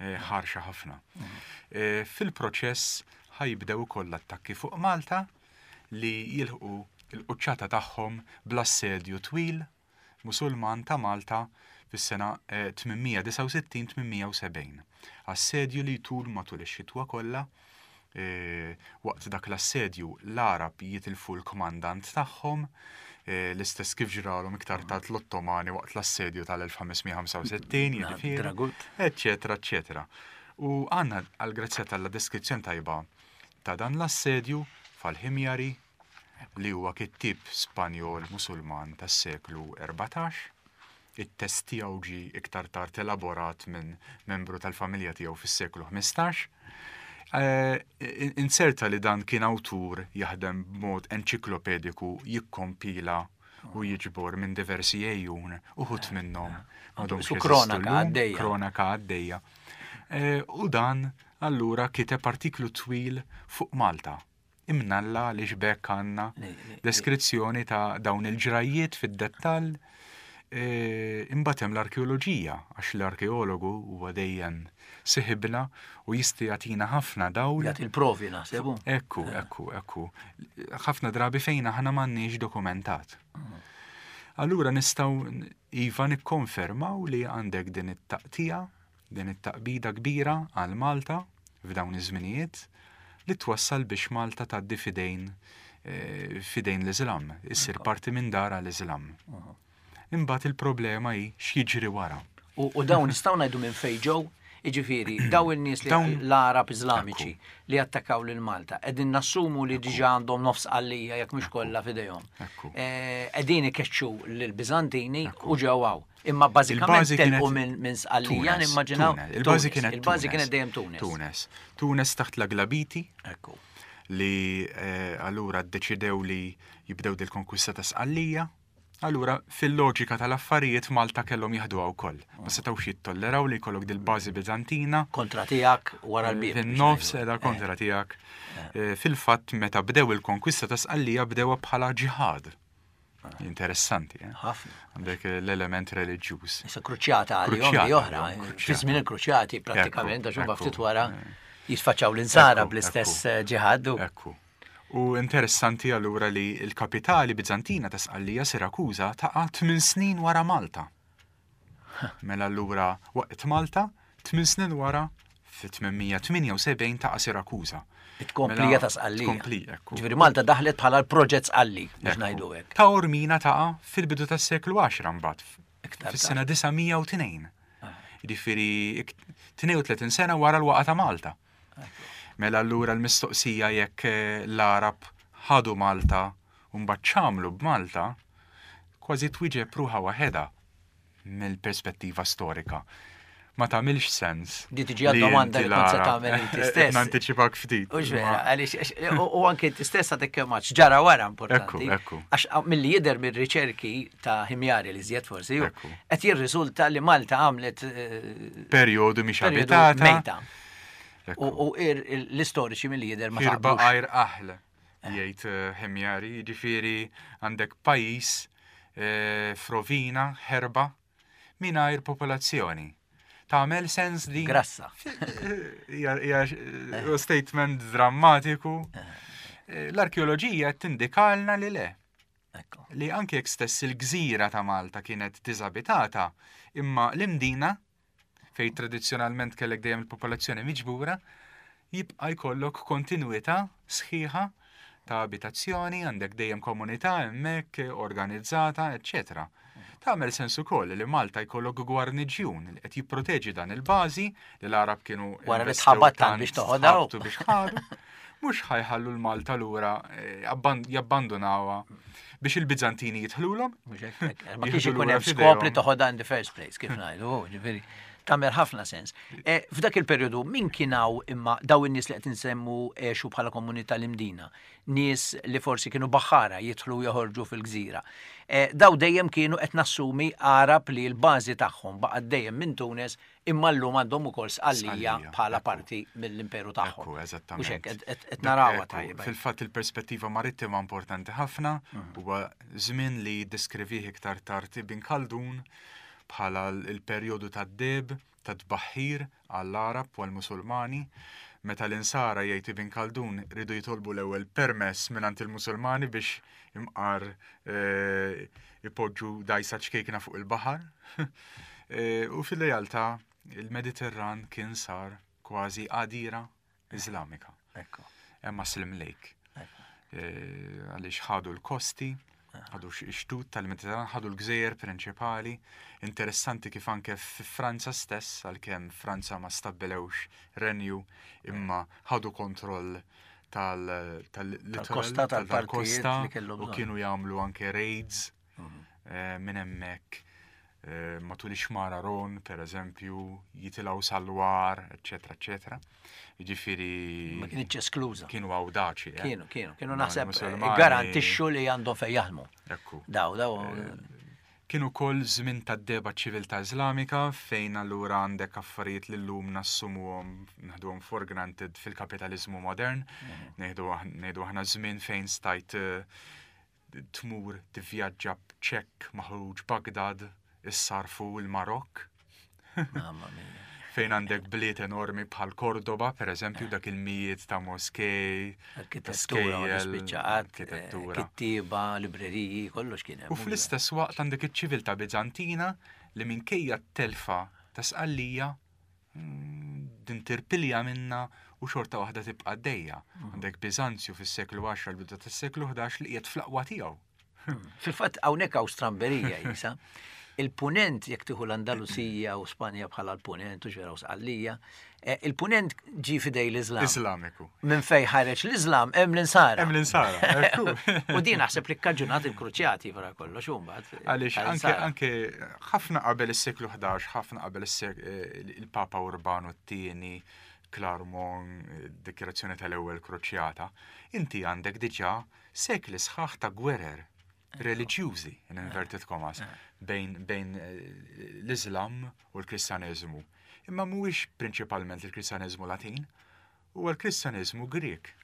eh, ħarxa ħafna. Mhm. Eh, fil-proċess ħa jibdew ukoll l-attakki fuq Malta li jilħqu l-quċċata tagħhom bl-assedju twil Musulman ta' Malta fis-sena 869-870. Assedju li jtul matul ix-xitwa kollha. Waqt dak l-assedju l-Għarab jitilfu l-kmandant tagħhom, l-istess kif ġralhom iktar tard l-Ottomani waqt l-assedju tal-1565, jiġifieri, eċċetera, eċċetera. U għandna għall-grazzja t'Alla deskrizzjoni tajba ta' dan l-assedju f'Al-Ħimjari, li huwa kittieb Spanjol Musulman tas-seklu 14. It-test tiegħu ġie iktar tard elaborat minn membru tal-familja tiegħu fis-seklu 15. Eh, inserta li dan kien awtur jaħdem b'mod enċiklopediku jikkompila u jiġbor minn diversi ejjun uħut minnhom m'għadhomx kronaka għaddejja. Kronaka għaddejja. Eh, u dan allura kiteb artiklu twil fuq Malta Imnalla għaliex b'hekk għandna deskrizzjoni ta' dawn il-ġrajjiet fid-dettall. E, imbagħad hemm l-arkeoloġija, għax l-arkeologu huwa dejjem siħibna u jista' jagħtina ħafna dawl. Jagħti il-provi naħseb. Ekku, eh. ekku, ekku. Ħafna drabi fejn aħna m'għandniex dokumentat. Mm. Allura nistgħu iva nikkonfermaw li għandek din it-taqtija Din it-taqbida kbira għal Malta f'dawn iż-żminijiet li twassal biex Malta tgħaddi f'idejn f'idejn l-Iżlam, issir parti minn dar għall-Iżlam. Imbagħad il-problema hi x'jiġri wara. U dawn nistgħu ngħidu minn fejn ġew? Jiġifieri, dawn in-nies li l-Għarab Iżlamiċi li attakkaw lil Malta, qegħdin nassumu li diġà għandhom nofs Sqallija jekk mhux kollha f'idejhom. Qegħdin ikeċċu lill-Biżantini u ġew hawn. Imma bażikament telqu minn Sqallija nimmaġinaw. Il-bażi kienet Il-bażi kienet dejjem Tunis. Tunis. Tunis taħt l-Aglabiti. Ekku. Li eh, allura ddeċidew li jibdew dil-konkwista ta' Sqallija. Allura, fil-loġika tal-affarijiet Malta kellhom jaħduha wkoll. Ma ah. setgħux jittolleraw li jkollok dil-bażi Biżantina. Kontra tiegħek wara l-bieb. Fin-nofs edha kontra eh. tiegħek. Eh. Eh, fil-fatt meta bdew il-konkwista ta' Sqallija bdewha bħala ġihad. Interessanti, eh? Ħafna. Għandek l-element reliġjuż. Issa kruċjata għalihom li oħra. Eh, fi żmien il-kruċjati prattikament għax huma ftit wara eh. jisfaċċaw l-insara bl-istess eh, ġihad. Ekku. U interessanti allura li l-kapitali Bizantina ta' Sqallija Sirakuża taqa' tmien snin wara Malta. Mela allura waqt Malta, tmien snin wara fit-878 taqa' Sirakuża. It-tkomplija mela, ta' Sqallija. Tkomplija, ekku. Ġifieri Malta daħlet bħala l-proġett Sqalli, biex ngħidu hekk. Ta' Ormina taqa' fil-bidu tas-seklu 10 mbagħad. Fis-sena 902. Ah. Ġifieri 32 sena wara l-waqa ta' Malta. Mela allura l-mistoqsija jekk eh, l-Arab ħadu Malta u mbagħad x'għamlu b'Malta, kważi twieġeb ruħha waħedha mill-perspettiva storika. Ma tagħmilx sens. Di tiġi għad-domanda li kont se tagħmel inti stess. Nantiċipak ftit. U vera, għaliex u anke inti stess għadek kemm għadx ġara wara importanti. Ekku, Għax milli jidher mir-riċerki ta' Ħimjari li żjed forsi, qed jirriżulta li Malta għamlet eh, perjodu mhix abitata. Mejta. U l-istoriċi milli jidher ma taqblux. Għajr aħl. jgħid eh, Ħimjari, jiġifieri għandek pajjiż eh, f'rovina, ħerba, mingħajr popolazzjoni. Tagħmel sens di. Grassa. Hija eh, statement drammatiku. L-arkeoloġija qed tindikalna li le. Li anke jekk stess il-gżira ta' Malta kienet diżabitata, imma l-Imdina fejn tradizzjonalment kellek dejjem il-popolazzjoni miġbura, jibqa' jkollok kontinwità sħiħa ta' abitazzjoni, għandek dejjem komunità hemmhekk organizzata, eċċetera. Tagħmel sens ukoll li Malta jkollok gwarniġjun li qed jipproteġi dan il-bażi li l-Għarab kienu wara li tħabat tant biex toħodha biex ħadu. Mhux ħajħallu l-Malta lura eh, jabbandunawha biex il-Bizantini jidħlulhom. Ma kienx ikun hemm skop li toħodha in the first place, kif ngħidu, ġifieri tagħmel ħafna sens. Eh, f'dak il-perjodu min kien hawn imma daw in-nies li qed insemmu għexu bħala komunità l-Imdina, nies li forsi kienu baħħara jidħlu u joħorġu fil-gżira. Eh, daw dejjem kienu qed nassumi Għarab li l-bażi tagħhom baqgħet dejjem minn Tunes imma llum għandhom ukoll Sqallija bħala parti mill-imperu tagħhom. Ekku, eżattament. Mhux hekk, qed narawha tajba. Fil-fatt il-perspettiva marittima importanti ħafna, mhm. huwa żmien li jiddeskrivih iktar tard Ibn Khaldun bħala l-perjodu tad-deheb, tat-tbaħħir għall-Għarab u għall-Musulmani, meta l-Insara, jgħid Ibn Khaldun, riedu jitolbu l-ewwel permess mingħand il-Musulmani biex imqar ipoġġu dgħajsa ċkejkna fuq il-baħar. U fil-realtà il-Mediterran kien sar kważi għadira Iżlamika. Ekku. Hemm Muslim Lake. Eh, għaliex ħadu l-kosti, ħadu x-xtut tal-Mediterran, ħadu l-gżejjer prinċipali. Interessanti kif anke fi Franza stess, għalkemm Franza ma stabbilewx renju, imma ħadu kontroll tal-kosta tal-kosta u kienu jagħmlu anke raids mhm. eh, minn hemmhekk eh, matul ix-xmara Ron, per eżempju, jitilgħu sal-war, eċetera, eċetera. Jiġifieri. Ma kienx eskluża. Kienu awdaċi. Eh? Kienu, kienu, kienu naħseb garantixxu li għandhom fejn jaħdmu. Ekku. Daw, daw. Kien ukoll żmien tad-dehba ċ-ċiviltà Iżlamika fejn allura għandek affarijiet li llum nassumuhom, naħduhom for granted fil-kapitaliżmu modern. Ngħidu ngħidu aħna żmien fejn stajt tmur tivvjaġġa b'ċekk maħruġ Bagdad issarfu l-Marokk. Mamma mia. Fejn għandek bliet enormi bħal Cordoba, per eżempju, dak il-mijiet ta' moskej, Arkitettura, ma tispiċċa qatt, eh, arkitettura. kittieba, libreriji, kollox kien hemm. U fl-istess waqt għandek iċ-ċiviltà Biżantina li minkejja t-telfa ta' Sqallija mm, din tirpilja minna u xorta waħda tibqa' għaddejja. Mm. Għandek Biżanzju fis-seklu 10 l-bidu tas-seklu 11 li qiegħed fl-aqwa tiegħu. Fil-fatt hawnhekk hawn stramberija jisa. Il-punent jekk tieħu l-Andalusija u Spanja bħala l-punent u ġera u Sqallija, eh, il-punent ġi fidej l-Islam. Islamiku. Minn fej ħareġ l-Islam hemm l-insara. Hemm l-insara, ekku. U din naħseb li kkaġunat il-kruċjati wara kollox u mbagħad. eh, Għaliex anke anke ħafna qabel is-seklu 11, ħafna qabel eh, il-Papa Urbanu t-tieni, Clermont, dikjarazzjoni tal-ewwel kruċjata, inti għandek diġà sekli sħaħ ta' gwerer reliġjużi, in inverted commas, bejn, bejn eh, l-Islam u l-Kristjaneżmu. Imma mhuwiex prinċipalment il-Kristjaneżmu Latin, huwa l-Kristjaneżmu Grieg.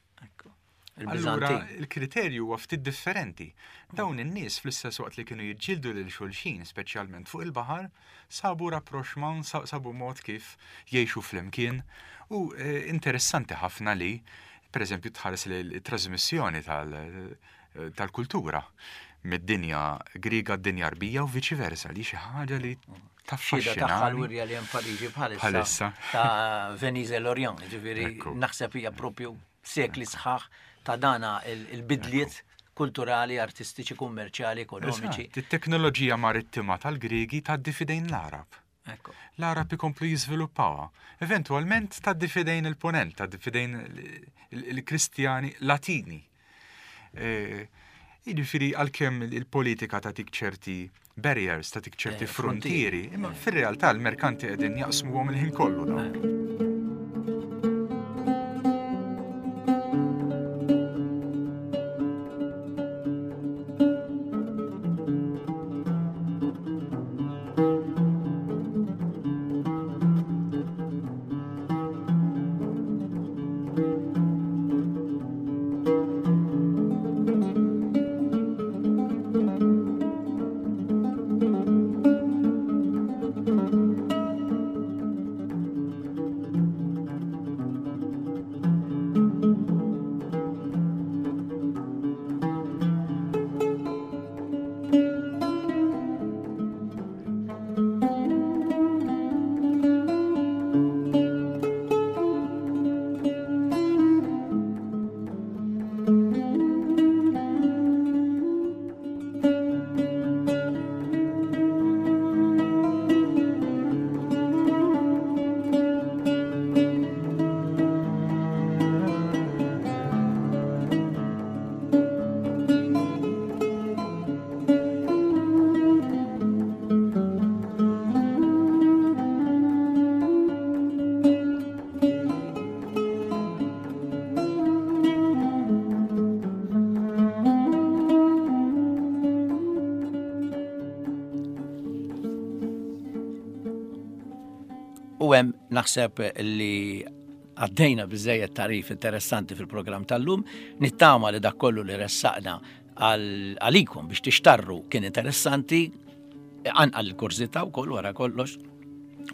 Allura il-kriterju huwa ftit differenti. Dawn in-nies fl-istess waqt li kienu jiġġieldu lil xulxin, speċjalment fuq il-baħar, sabu rapprochement, sabu mod kif jgħixu flimkien u eh, interessanti ħafna li Per eżempju, tħares li t-trasmissjoni tal-kultura mid-dinja Griega d-dinja Arbija u viċi versa li xi ħaġa li taffaxxina. Tagħha l-wirja li hemm Pariġi bħalissa. Ta' Venise l-Orient, ġifieri naħseb hija propju sekli sħaħ ta' dana il-bidliet kulturali, artistiċi, kummerċjali, ekonomiċi. It-teknoloġija marittima tal-Griegi tgħaddi f'idejn l-Għarab. L-Għarab ikomplu jiżviluppawha. Eventwalment tgħaddi f'idejn il-Punent, tgħaddi f'idejn il-Kristjani Latini. E, jiġifieri għalkemm il-politika tagħtik ċerti barriers, tagħtik ċerti eh, frontieri, imma eh. fir-realtà l-merkanti qegħdin jaqsmuhom il-ħin kollu dawk. U hemm naħseb li għaddejna biżejjed tarif interessanti fil-programm tal-lum, nittama li dak kollu li ressaqna għalikom biex tixtarru kien interessanti, anqal il-kurżità wkoll wara kollox,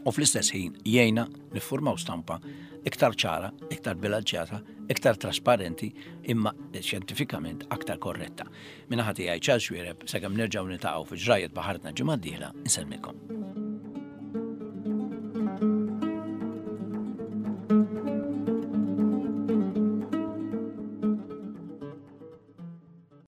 u fl-istess ħin jgħinna niffurmaw stampa iktar ċara, iktar bilanċjata, iktar trasparenti, imma xjentifikament aktar korretta. Minna ħati għaj ċal xwireb, sakemm nerġgħu nitaqgħu fi ġrajiet baħartna ġimgħa d-dieħla, insellmikom.